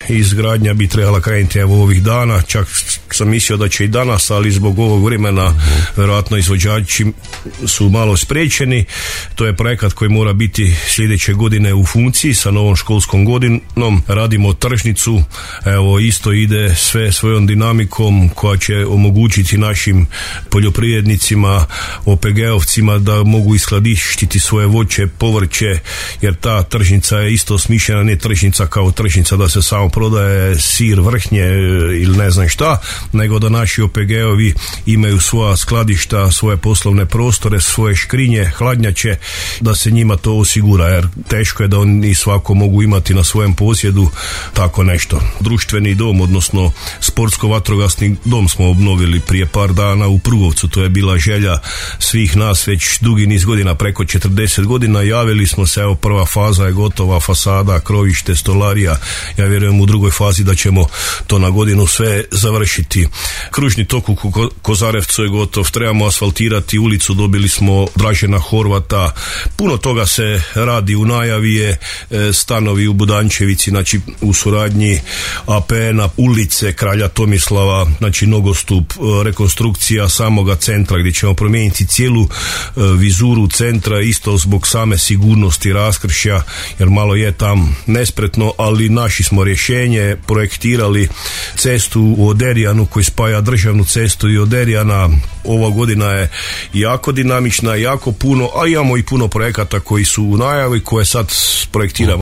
izgradnja bi trebala krenuti evo ovih dana, čak sam mislio da će i danas, ali zbog ovog vremena vjerojatno izvođači su malo spriječeni. To je projekat koji mora biti sljedeće godine u funkciji sa novom školskom godinom. Radimo tržnicu, evo isto ide sve svojom dinamikom koja će omogućiti našim poljoprivrednicima, OPG-ovcima da mogu iskladištiti svoje voće, povrće, jer ta tržnica je isto smišljena, ne tržnica kao tržnica da se samo prodaje sir, vrhnje ili ne znam šta, nego da naši OPG-ovi imaju svoja skladišta, svoje poslovne prostore, svoje škrinje, hladnjače, da se njima to osigura, jer teško je da oni svako mogu imati na svojem posjedu tako nešto. Društveni dom, odnosno sportsko-vatrogasni dom smo obnovili prije par dana u Prugovcu, to je bila želja svih nas već dugi niz godina, preko 40 godina. Javili smo se, evo prva faza je gotova, fasada, krovište, stolarija, ja vjerujem u drugoj fazi da ćemo to na godinu sve završiti. Kružni tok u Kozarevcu je gotov, trebamo asfaltirati ulicu, dobili smo Dražena Horvata, puno toga se radi, u najavi je stanovi u Budančevici, znači u suradnji APN-a, ulice Kralja Tomislava, znači nogostup, rekonstrukcija samoga centra gdje ćemo promijeniti cijelu vizuru centra, isto zbog same sigurnosti raskršća, jer malo je tam nespretno, ali naši smo rješenje, projektirali cestu u Oderijanu koji spaja državnu cestu i Oderijana. Ova godina je jako dinamična, jako puno, a imamo i puno projekata koji su u najavi koje sad projektiramo.